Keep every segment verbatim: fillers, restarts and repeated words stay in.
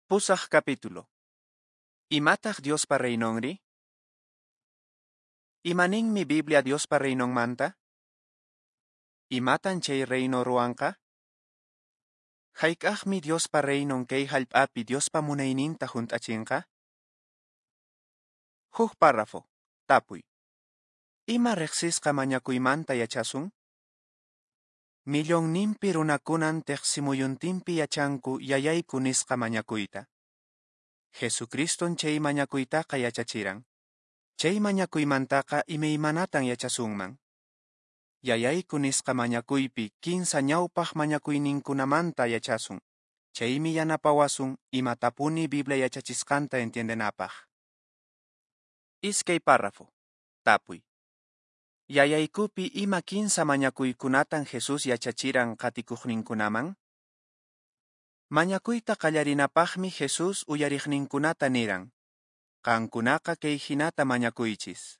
Pusaq capítulo. Imataq Diospa Reinonri? Imaninmi Biblia Diospa Reinonmanta? Imatan chay reino ruwanqa? Hayk'aqmi Diospa Reinon kay hallp'api Diospa munayninta hunt'achinqa? Huk párrafo. Tapuy. Ima riqsisqa mañakuymanta yachasun? Millonninpi runakunan teqsimuyuntinpi yachanku yayayku nisqa mañakuyta. Jesucriston chay mañakuytaqa yachachiran. Chay mañakuymantaqa imaymanatan yachasunman. Yayayku nisqa mañakuypi kinsa ñawpaq mañakuyninkunamanta yachasun. Chaymi yanapawasun imatapuni Biblia yachachisqanta entiendenapaq. Iskay párrafo. Tapuy. Yayaykupi ima kinsa mañakuykunatan Jesús yachachiran qatikuqninkunaman? Mañakuyta qallarinapaqmi Jesús uyariqninkunata niran. Qankunaqa kay hinata mañakuychis.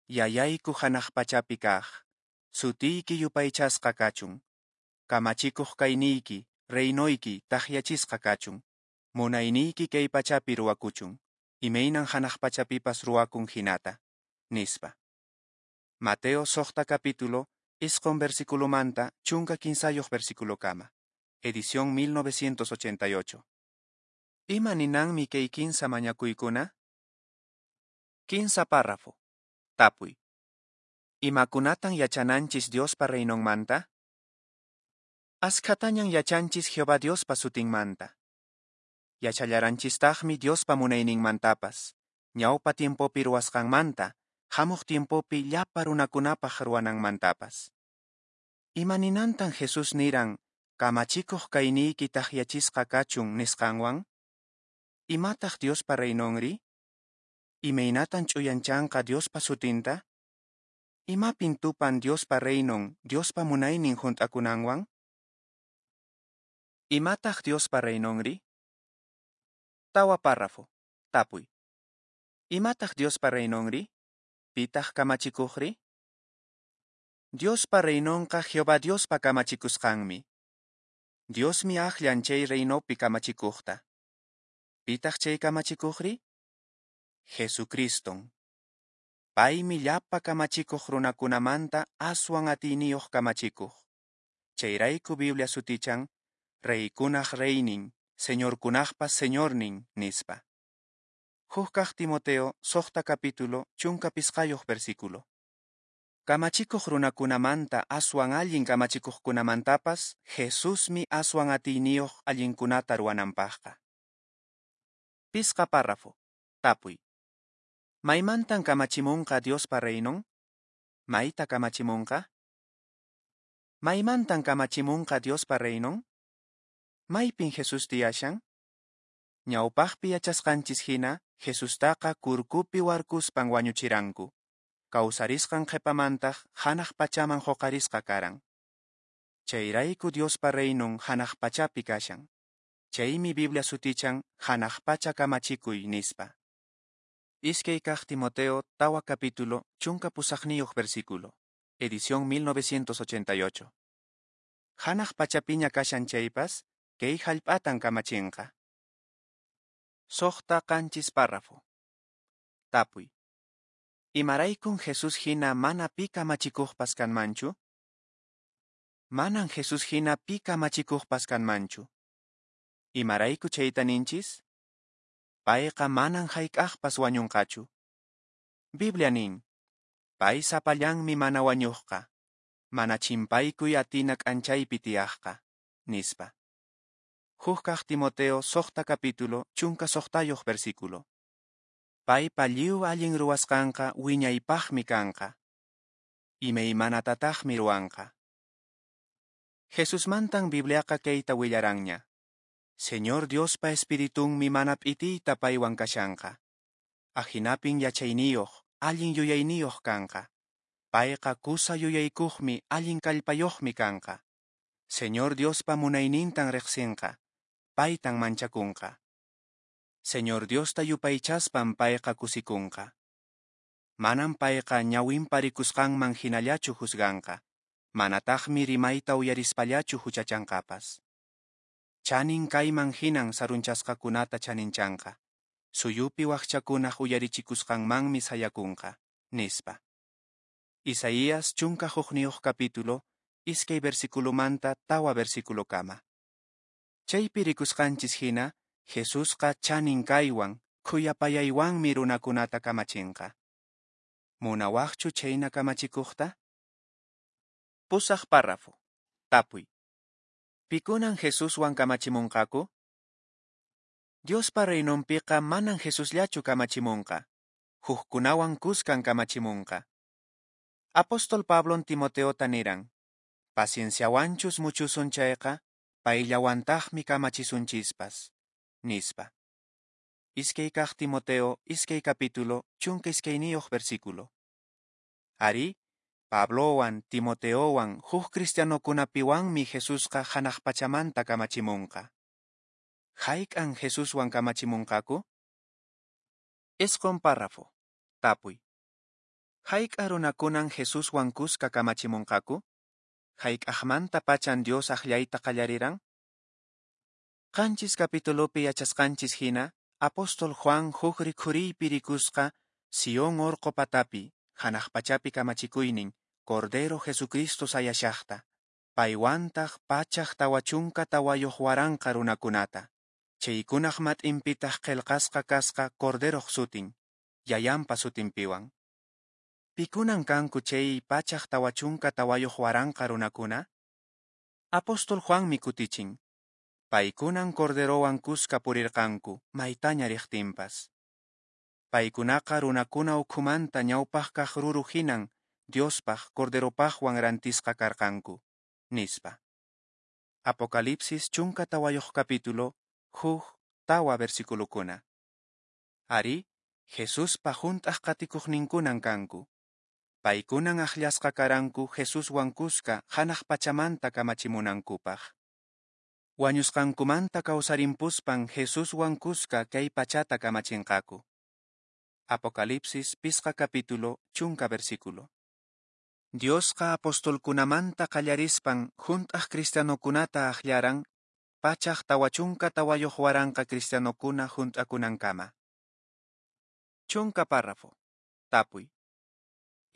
Yayayku hanaq pachapi kaq. Sutiyki yupaychasqa kachun. Kamachikuq kayniyki, reinoyki takyachisqa kachun. Munayniyki kay pachapi ruwakuchun. Imaynan hanaq pachapipas ruwakun hinata. Nispa. Mateo suqta capítulo, isqun versiculomanta, chunka kinsayuq versiculokama. Edición mil novecientos ochenta y ocho. Ima ninanmi kay kinsa mañakuykuna? Kinsa párrafo. Tapuy. Imakunatan yachananchis Diospa Reinonmanta? Askhatañan yachanchis Jehová Diospa sutinmanta. Yachallaranchistaqmi Diospa munayninmantapas, ñawpa tiempopi ruwasqanmanta, hamuq tiempopi llapa runakunapaq ruwananmantapas. Ima ninantan Jesús niran, kamachikuq kayniyki takyachisqa kachun nisqanwan? Imataq Diospa Reinonri? Imaynatan ch'uyanchanqa Diospa sutinta? Imapin tupan Diospa Reinon, Diospa munaynin hunt'akunanwan? Imataq Diospa Reinonri? Tawa párrafo. Tapuy. Imataq Diospa Reinonri? Pitaq kamachikuqri? Diospa Reinonqa Jehová Diospa kamachikusqanmi. Diosmi akllan chay reinopi kamachikuqta. Pitaq chay kamachikuqri? Jesucriston. Paymi llapa kamachikuq runakunamanta aswan atiyniyuq kamachikuq. Chayrayku Biblia sutichan, reykunaq reynin, señorkunaqpas señornin, nispa. Huk kaq Timoteo, suqta capítulo, chunka pisqayuq versículo. Kamachikuq runakunamanta aswan allin kamachikuqkunamantapas, Jesusmi aswan atiyniyuq allinkunata ruwananpaqqa. Pisqa párrafo. Tapuy. Maymantan kamachimunqa Diospa Reinon? Mayta kamachimunqa? Maymantan kamachimunqa Diospa Reinon? Maypin Jesús tiyashan? Ñawpaqpi yachasqanchis hina, Jesustaqa kurkupi warkuspan wañuchiranku. Kawsarisqan qhipamantaq hanaq pachaman huqarisqa karan. Chayrayku Diospa Reinon hanaq pachapi kashan. Chaymi Biblia sutichan hanaq pacha kamachikuy nispa. Iskay kaq Timoteo, tawa capítulo, chunka pusaqniyuq versículo. Edición mil novecientos ochenta y ocho. Hanaq pachapiña kashan chaypas, kay hallp'atan kamachinqa. Suqta qanchis párrafo. Tapuy. Imaraykun Jesús hina mana pi kamachikuqpas kanmanchu? Manan Jesús hina pi kamachikuqpas kanmanchu. Imarayku chayta ninchis? Payqa manan hayk'aqpas wañunqachu. Biblia nin, pay sapallanmi mana wañuqqa, mana chimpaykuy atina k'anchaypi tiyaqqa, nispa. Huk kaq Timoteo, suqta capítulo, chunka suqtayuq versículo. Paypa lliw allin ruwasqanqa wiñaypaqmi kanqa. Imaymanatataqmi ruwanqa. Jesusmantan Bibliaqa kayta willaranña. Señor Diospa Espiritunmi mana p'itiyta paywan kashanqa. Ahinapin yachayniyuq, allin yuyayniyuq kanqa. Payqa kusa yuyaykuqmi, allin kallpayuqmi kanqa. Señor Diospa munaynintan riqsinqa, paytan manchakunqa. Señor Diosta yupaychaspan payqa kusikunqa. Manan payqa ñawinpa rikusqanman hinallachu juzganqa, manataqmi rimayta uyarispallachu huchachanqapas. Chanin kayman hinan sarunchasqakunata chaninchanqa, suyupi wakchakunaq uyarichikusqanmanmi sayakunqa, nispa. Isaías chunka hukniyuq capítulo, iskay versiculomanta tawa versiculokama. Chaypi rikusqanchis hina, Jesusqa chanin kaywan, khuyapayaywanmi runakunata kamachinqa. Munawaqchu chhayna kamachikuqta? Pusaq párrafo. Tapuy. Pikunan Jesuswan kamachimunqaku? Diospa reinonpiqa manan Jesusllachu kamachimunqa. Hukkunawan kuskan kamachimunqa. Apóstol Pablon Timoteota niran, pacienciawanchus muchusun chayqa, payllawantaqmi kamachisunchispas, nispa. Iskay kaq Timoteo, iskay capítulo, chunka iskayniyuq versículo. Arí, Pablowan, Timoteowan, huk cristianokunapiwanmi Jesusqa hanaq pachamanta kamachimunqa. Hayk'an Jesuswan kamachimunqaku? Isqun párrafo. Tapuy. Hayk'a runakunan Jesuswan kuska kamachimunqaku? Hayk'aqmanta pachan Dios akllayta qallariran? Qanchis capitulopi yachasqanchis hina, apóstol Juan huk rikhuriypi rikusqa Sion orqo patapi, hanaq pachapi kamachikuynin, Cordero Jesucristo sayashaqta, paywantaq pachak tawa chunka tawayuq waranqa runakunata. Chaykunaq mat'inpitaq qillqasqa kasqa Corderoq sutin, Yayanpa sutinpiwan. Pikunan kanku chay pachak tawa chunka tawayuq waranqa runakuna? Apóstol Juanmi kutichin. Paykunan Corderowan kuska purirqanku, maytaña riqtinpas. Paykunaqa runakuna ukhumanta ñawpaq kaq ruru hinan Diospaq Corderopaqwan rantisqa karqanku, nispa. Apocalipsis chunka tawayuq capítulo, huk tawa versiculokuna. Arí, Jesuspa hunt'aq qatikuqninkunan kanku. Paykunan akllasqa karanku Jesuswan kuska hanaq pachamanta kamachimunankupaq. Wañusqankumanta kawsarimpuspan Jesuswan kuska kay pachata kamachinqaku. Apocalipsis pisqa capítulo, chunka versículo. Diosqa apostolkunamanta qallarispan hunt'aq cristianokunata akllaran pachak tawa chunka tawayuq waranqa cristianokuna hunt'akunankama. Chunka párrafo. Tapuy.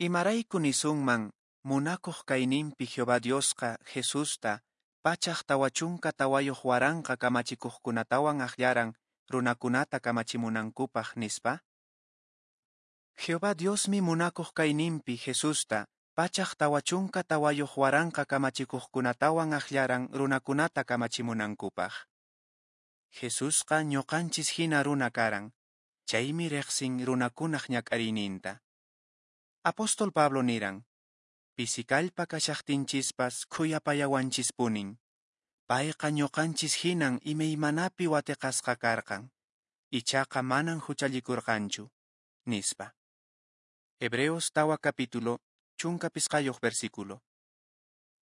Imarayku nisunman munakuq kayninpi Jehová Diosqa Jesusta pachak tawa chunka tawayuq waranqa kamachikuqkunatawan akllaran runakunata kamachimunankupaq nispa? Jehová Diosmi munakuq kayninpi Jesusta pachak tawa chunka tawayuq waranqa kamachikuqkunatawan akllaran runakunata kamachimunankupaq. Jesusqa ñuqanchis hina runa karan, chaymi riqsin runakunaq ñak'ariyninta. Apóstol Pablo niran, pisikallpa kashaqtinchispas khuyapayawanchispunin. Payqa ñuqanchis hinan imaymanapi watiqasqa karqan, ichaqa manan huchallikurqanchu, nispa. Hebreos tawa capítulo, chunka pisqayuq versículo.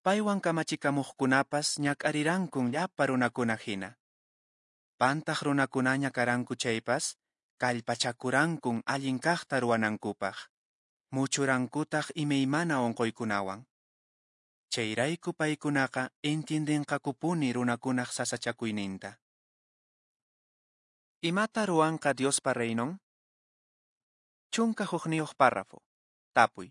Paywan kamachikamuqkunapas ñak'arirankun llapa runakuna hina. Pantaq runakunaña karanku chaypas, kallpachakurankun allin kaqta ruwanankupaq. Muchurankutaq imaymana unquykunawan. Chayrayku paykunaqa entiendenqakupuni runakunaq sasachakuyninta. Imata ruwanqa Diospa reinon? Chunka hukniyuq párrafo. Tapuy.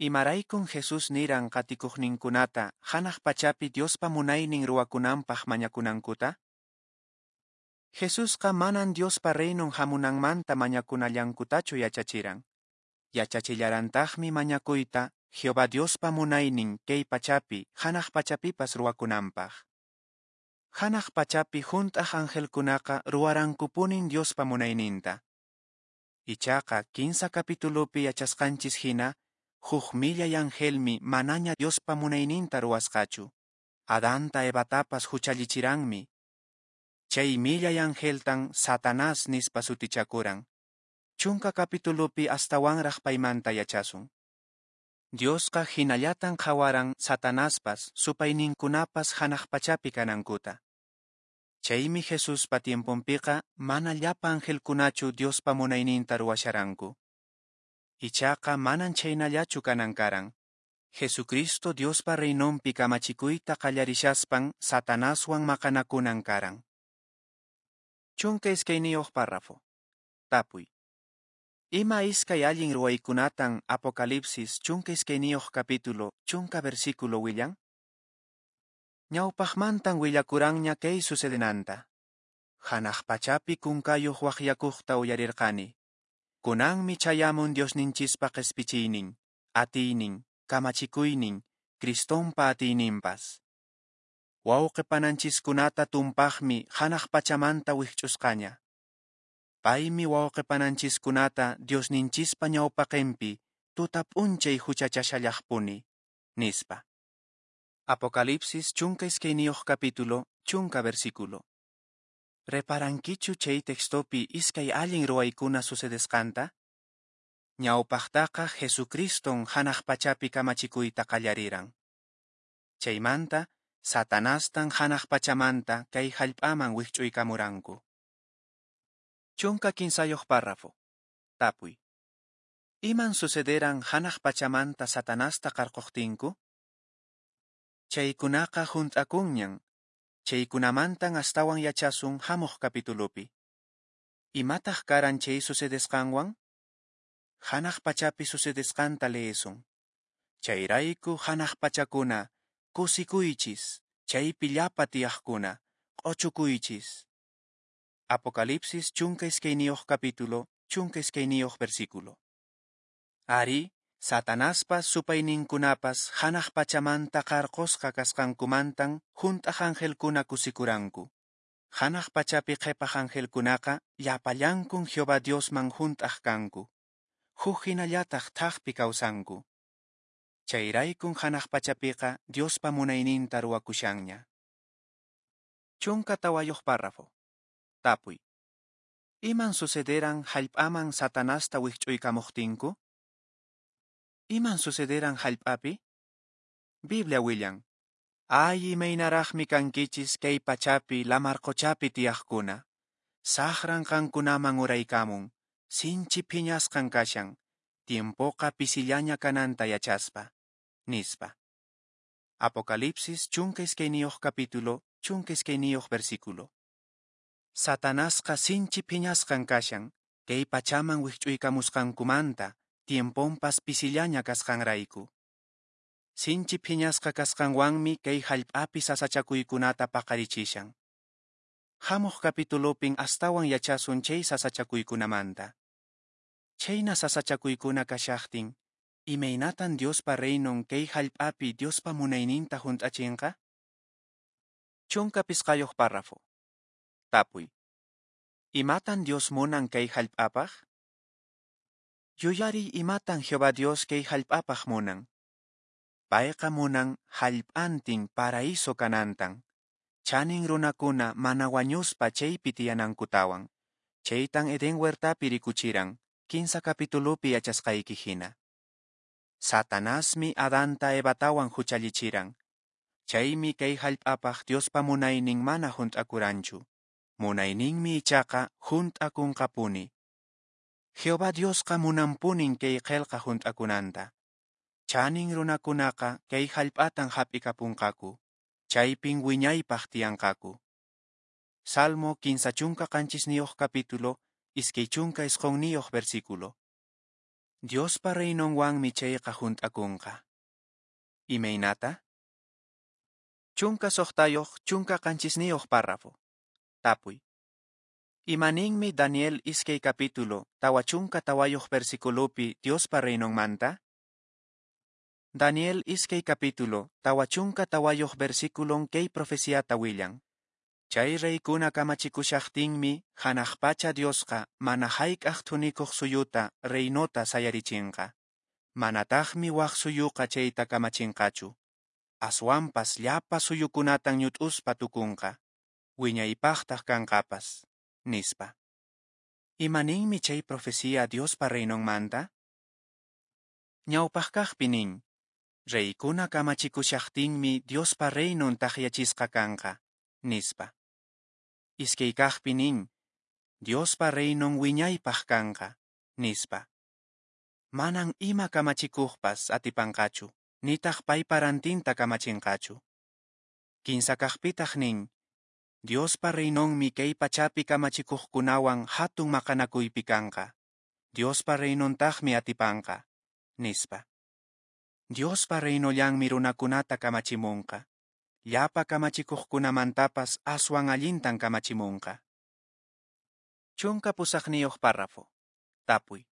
Imaraykun Jesús niran qatikuqninkunata hanaq pachapi Diospa munaynin ruwakunanpaq mañakunankuta? Jesusqa manan Diospa reinon hamunanmanta mañakunallankutachu yachachiran. Yachachillarantaqmi mañakuyta Jehová Diospa munaynin kay pachapi hanaq pachapipas ruwakunanpaq. Hanaq pachapi hunt'aq angelkunaqa ruwarankupunin Diospa munayninta. Ichaqa kinsa capitulopi yachasqanchis hina, huk millay angelmi manaña Diospa munayninta ruwasqachu. Adanta Evatapas huchallichiranmi. Chay millay angeltan Satanás nispa sutichakuran. Chunka capitulopi astawanraq paymanta yachasun. Diosqa hinallatan qhawaran Satanaspas supayninkunapas hanaq pachapi kanankuta. Chaymi Jesuspa tiemponpiqa mana llapa angelkunachu Diospa munayninta ruwasharanku. Ichaqa manan chhaynallachu kanan karan. Jesucristo Diospa Reinonpi kamachikuyta qallarishaspan Satanaswan maqanakunan karan. Chunka iskayniyuq párrafo. Tapuy. Ima iskay allin ruwaykunatan Apocalipsis chunka iskayniyuq capítulo chunka versículo willan? Ñawpaqmantan willakuranña kay sucedenanta. Hanaq pachapi kunkayuq waqyakuqta uyarirqani. Kunanmi chayamun Diosninchispa qespichiynin, atiynin, kamachikuynin, Cristonpa atiyninpas. Wawqi pananchiskunata tumpaqmi hanaq pachamanta wikch'usqaña. Paymi wawqi pananchiskunata Diosninchispa ñawpaqinpi tuta p'unchay huchachashallaqpuni, nispa. Apocalipsis chunka iskayniyuq capítulo chunka versículo. Reparankichu chay textopi iskay allin ruwaykuna sucedesqanta? Ñawpaqtaqa Jesucriston hanaq pachapi kamachikuyta qallariran. Chaymanta, Satanastan hanaq pachamanta kay hallp'aman wikch'uykamuranku. Chunka kinsayuq párrafo. Tapuy. Iman sucederan hanaq pachamanta Satanasta qarquqtinku? Chaykunaqa hunt'akunñan. Chaykunamantan astawan yachasun hamuq capitulopi. Imataq karan chay sucedesqanwan? Hanaq pachapi sucedesqanta leesun. Chayrayku hanaq pachakuna, kusikuychis, chaypi llapa tiyaqkuna, q'ochukuychis. Apocalipsis chunka iskayniyuq capítulo, chunka iskayniyuq versículo. Ari, Satanaspas supayninkunapas hanaq pachamanta qarqusqa kasqankumantan hunt'aq angelkuna kusikuranku. Hanaq pachapi qhipaq angelkunaqa llapallankun Jehová Diosman hunt'aq kanku. Huk hinallataq thaqpi kawsanku. Chayraykun hanaq pachapiqa Diospa munayninta ruwakushanña. Chunka tawayuq párrafo. Tapuy. Iman sucederan hallp'aman Satanasta wikch'uykamuqtinku? Iman sucederan hallp'api? Biblia willan. Ay imaynaraqmi kankichis kay pachapi lamarqochapi tiyaqkuna. Saqran qankunaman uraykamun, sinchi phiñasqan kashan, tiempoqa pisillaña kananta yachaspa, nispa. Apocalipsis chunka iskayniyuq capítulo, chunka iskayniyuq versículo. Satanasqa sinchi phiñasqan kashan, kay pachaman wikch'uykamusqankumanta, tiemponpas pisillaña kasqanrayku. Sinchi phiñasqa kasqanwanmi kay hallp'api sasachakuykunata paqarichishan. Hamuq capitulopin astawan yachasun chay sasachakuykunamanta. Chayna sasachakuykuna kashaqtin, imaynatan Diospa reinon kay hallp'api Diospa munayninta hunt'achinqa? Chunka pisqayuq párrafo. Tapuy. Imatan Dios munan kay hallp'apaq? Yuyariy imatan Jehová Dios kay hallp'apaq munan. Payqa munan hallp'antin paraíso kanantan. Chanin runakuna mana wañuspa chaypi tiyanankutawan. Chaytan Edén huertapi rikuchiran, kinsa capitulopi yachasqayki hina. Satanasmi Adanta Evatawan huchallichiran. Chaymi kay hallp'apaq Diospa munaynin mana hunt'akuranchu. Munayninmi ichaqa hunt'akunqapuni. Jehová Diosqa munanpunin kay qelqa hunt'akunanta. Chanin runakunaqa kay hallp'atan hap'ikapunqaku. Chaypin wiñaypaq tiyanqaku. Salmo kinsa chunka qanchisniyuq capítulo, iskay chunka isqunniyuq versículo. Diospa reinonwanmi chayqa hunt'akunqa. Imaynata? Chunka suqtayuq, chunka qanchisniyuq párrafo. Tapuy. Imaninmi Daniel iskay capítulo, tawa chunka tawayuq versículopi Diospa reinonmanta? Daniel iskay capítulo, tawa chunka tawayuq versículon kay profeciata willan. Chay reykuna kamachikushaqtinmi hanaq pacha Diosqa mana hayk'aq thunikuq suyuta reinota sayarichinqa. Manataqmi waq suyuqa chayta kamachinqachu. Aswanpas llapa suyukunatan ñut'uspa tukunqa. Wiñaypaqtaq kanqapas, nispa. Imaninmi chay profecía Diospa reinonmanta? Ñawpaqkaqpi nin, reykuna kamachikushaqtinmi Diospa reinon taqyachisqa kanqa, nispa. Iskaykaqpi nin, Diospa reinon wiñaypaq kanqa, nispa. Manan ima kamachikuqpas atipanqachu. nitaq paypa rantinta kamachinqachu. Kinsa kaqpitaq nin, Diospa Reinonmi kay pachapi kamachikuqkunawan hatun maqanakuypi kanqa. Diospa Reinontaqmi atipanqa, nispa. Diospa Reinollanmi runakunata kamachimunqa. Llapa kamachikuqkunamantapas aswan allintan kamachimunqa. Chunka pusaqniyuq párrafo. Tapuy.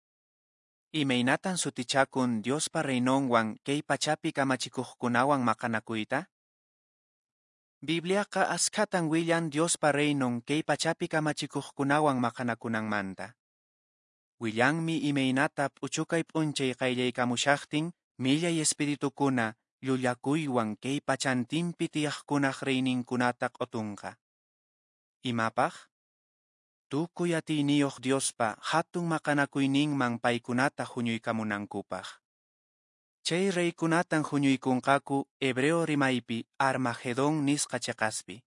Imaynatan sutichakun Diospa Reinonwan kay pachapi kamachikuqkunawan maqanakuyta? Bibliaqa askhatan willan Diospa Reinon kay pachapi kamachikuqkunawan maqanakunanmanta. Willanmi imaynata p'uchukay p'unchay qayllaykamushaqtin millay espiritukuna llullakuywan kay pachantinpi tiyaqkunaq reyninkunata q'utunqa. Imapaq? Tukuy atiyniyuq Diospa hatun maqanakuyninman paykunata huñuykamunankupaq. Chay reykunatan huñuykunqaku hebreo rimaypi Armagedón nisqa cheqaspi.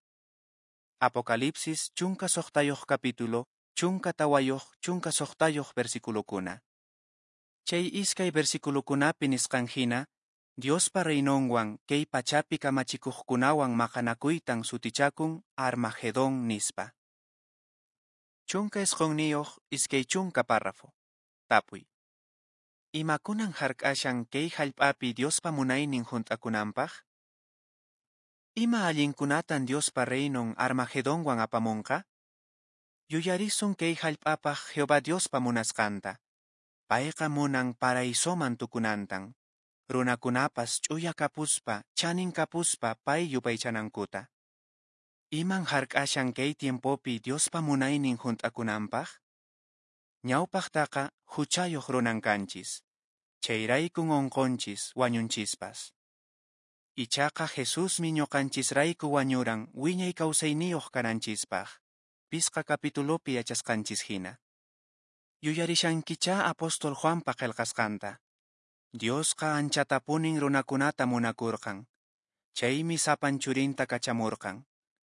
Apocalipsis chunka suqtayuq capítulo, chunka tawayuq, chunka suqtayuq versiculokuna. Chay iskay versiculokunapi nisqan hina, Diospa Reinonwan kay pachapi kamachikuqkunawan maqanakuytan sutichakun Armagedón nispa. Chunka isqunniyuq iskay chunka párrafo. Tapuy. Imakunan hark'ashan kay hallp'api Diospa munaynin hunt'akunanpaq? Ima allinkunatan Diospa Reinon Armagedonwan apamunqa? Yuyarisun kay hallp'apaq Jehová Diospa munasqanta. Payqa munan paraisoman tukunantan. Runakunapas ch'uya kapuspa, chanin kapuspa pay yupaychanankuta. Iman hark'ashan kay tiempopi Diospa munaynin hunt'akunanpaq? Ñawpaqtaqa huchayuq runan kanchis. Chayraykun unqunchis wañunchispas. Ichaqa Jesusmi ñuqanchisrayku wañuran wiñay kawsayniyuq kananchispaq. Pisqa capitulopi yachasqanchis hina. Yuyarishankichá apóstol Juanpa qillqasqanta. Diosqa anchatapunin runakunata munakurqan. Chaymi sapan churinta kachamurqan.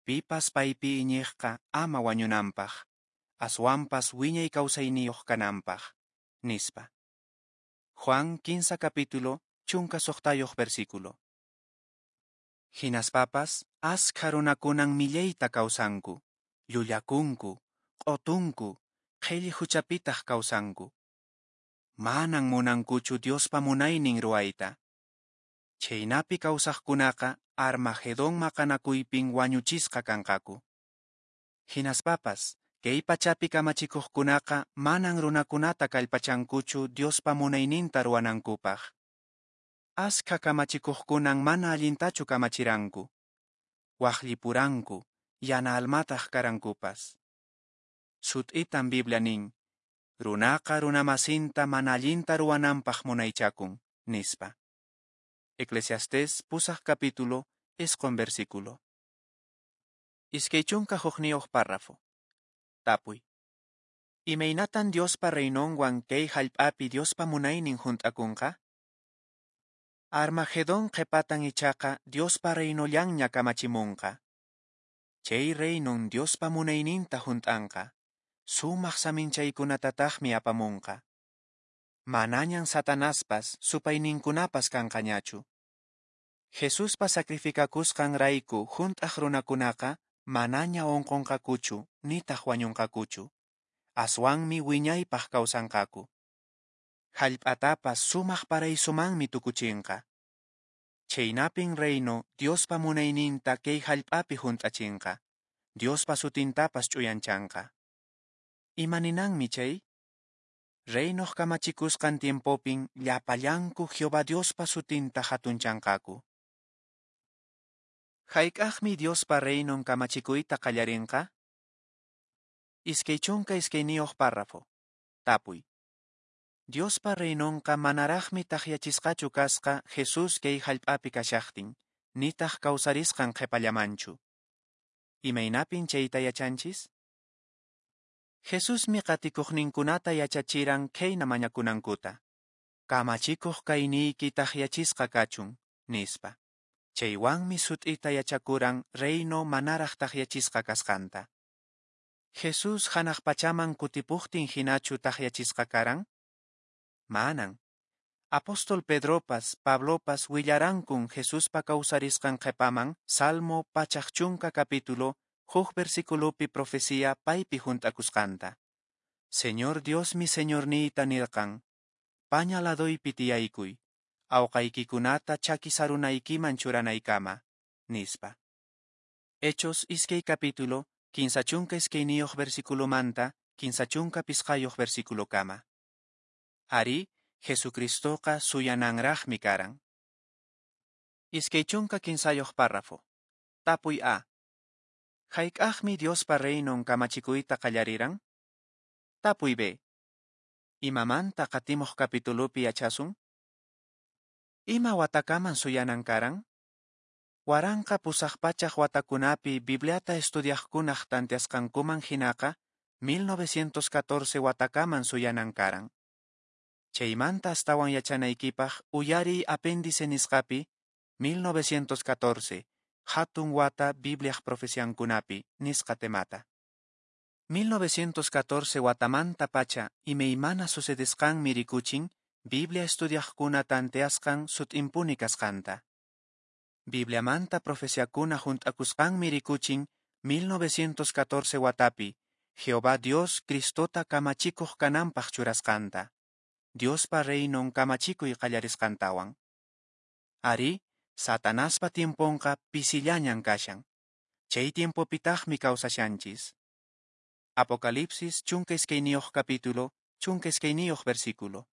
Pipas paypi iñiqqa ama wañunanpaq. Aswanpas wiñay kawsayniyuq kananpaq, nispa. Juan quince capítulo, chunka suqtayuq versículo. Hinaspapas, askha runakunan millayta kawsanku, llullakunku, q'utunku, qhilli huchapitaq kawsanku. Manan munankuchu Diospa munaynin ruwayta. Chhaynapi kawsaqkunaqa Armagedón maqanakuypin wañuchisqa kanqaku. Hinaspapas, kay pachapi kamachikuqkunaqa manan runakunata kallpachankuchu Diospa munayninta ruwanankupaq. Askha kamachikuqkunan mana allintachu kamachiranku. Waqllipuranku, yana almataq karankupas. Sut'itan Biblia nin, runaqa runamasinta mana allinta ruwananpaq munaychakun, nispa. Eclesiastés pusaq capítulo, isqun versículo. Iskay chunka hukniyuq párrafo. Tapuy. Imaynatan Diospa Reinonwan kay hallp'api Diospa munaynin hunt'akunqa? Armagedón qhipatan ichaqa Diospa Reinollanña kamachimunqa. Chay reinon Diospa munayninta hunt'anqa. Sumaq saminchaykunatataqmi apamunqa. Manañan Satanaspas supayninkunapas kanqañachu. Jesuspa sacrificakusqanrayku hunt'aq runakunaqa manaña unqunqakuchu nitaq wañunqakuchu. Aswanmi wiñaypaq kawsanqaku. Hallp'atapas sumaq paraisomanmi tukuchinqa. Chhaynapin reino Diospa munayninta kay hallp'api hunt'achinqa. Diospa sutintapas ch'uyanchanqa. Imaninanmi chay? Reinoq kamachikusqan tiempopin llapallanku Jehová Diospa sutinta hatunchanqaku. Hayk'aqmi Diospa reinon kamachikuyta qallarinqa? Iskay chunka iskayniyuq párrafo. Tapuy. Diospa reinonqa manaraqmi takyachisqachu kasqa Jesús kay hallp'api kashaqtin, nitaq kawsarisqan qhipallamanchu. Imaynapin chayta yachanchis? Jesusmi qatikuqninkunata yachachiran khayna mañakunankuta. Kamachikuq kayniyki takyachisqa kachun, nispa. Chaywanmi sut'ita yachakuran reino manaraq takyachisqa kasqanta. Jesús hanaq pachaman kutipuqtin hinachu takyachisqa karan? Manan. Apóstol Pedropas Pablopas willarankun Jesuspa kawsarisqan qhepaman Salmo pachak chunka capítulo huk versiculopi profecía paypi hunt'akusqanta. Señor Diosmi Señorniyta nirqan, paña ladoypi tiyaykuy, awqaykikunata chaki sarunaykiman churanaykama, nispa. Hechos iskay capítulo, kinsa chunka iskayniyuq versiculomanta, kinsa chunka pisqayuq versiculokama. Arí, Jesucristoqa suyananraqmi karan. Iskay chunka kinsayuq párrafo. Tapuy A. Hayk'aqmi Diospa reinon kamachikuyta qallariran? Tapuy B. Imamanta qatimuq capitulopi yachasun? Ima watakaman suyanan karan? Waranqa pusaq pachak watakunapi Bibliata estudiaqkunaq tanteasqankuman hinaqa mil novecientos catorce watakaman suyanan karan. Chaymanta astawan yachanaykipaq uyariy apéndice nisqapi mil novecientos catorce hatun wata Bibliaq profeciankunapi nisqa temata. mil novecientos catorce watamanta pacha imaymana sucedesqanmi rikuchin Biblia estudiaqkuna tanteasqan sut'impuni kasqanta. Bibliamanta profeciakuna hunt'akusqanmi rikuchin mil novecientos catorce watapi Jehová Dios Cristota kamachikuq kananpaq churasqanta. Diospa reinon kamachikuy qallarisqantawan. Arí, Satanaspa tiemponqa pisillañan kashan. Chay tiempopitaqmi kawsashanchis. Apocalipsis chunka iskayniyuq capítulo, chunka iskayniyuq versículo.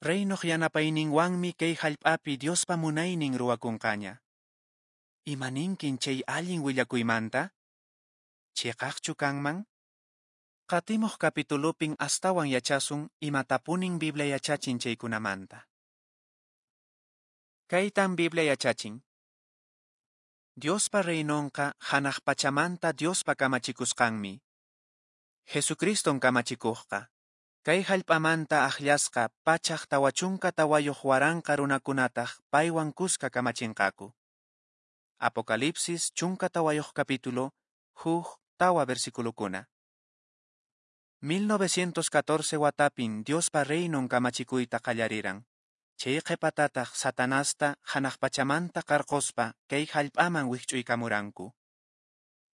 Reinoq yanapayninwanmi kay hallp'api Diospa munaynin ruwakunqaña. Imaninkin chay allin willakuymanta? Chiqaqchu kanman? Qatimuq capitulopin astawan yachasun imatapunin Biblia yachachin chaykunamanta. Kaytan Biblia yachachin. Diospa reinonqa hanaq pachamanta Diospa kamachikusqanmi. Jesucriston kamachikuqqa. Kay hallp'amanta akllasqa pachak tawa chunka tawayuq waranqa runakunataq paywan kuska kamachinqaku. Apocalipsis chunka tawayuq capítulo, huk tawa versiculokuna. mil novecientos catorce watapin Diospa reinon kamachikuyta qallariran. Chay qhipatataq Satanasta hanaq pachamanta qarquspa kay hallp'aman wikch'uykamuranku.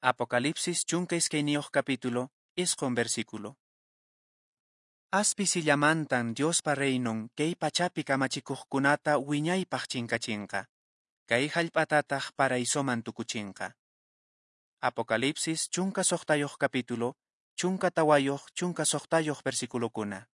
Apocalipsis chunka iskayniyuq capítulo, isqun versículo. Aspisillamantan Diospa reinon kay pachapi kamachikuqkunata wiñaypaq chinkachinqa. Kay hallp'atataq paraisoman tukuchinqa. Apocalipsis chunka suqtayuq capítulo, chunka tawayuq chunka suqtayuq versiculokuna.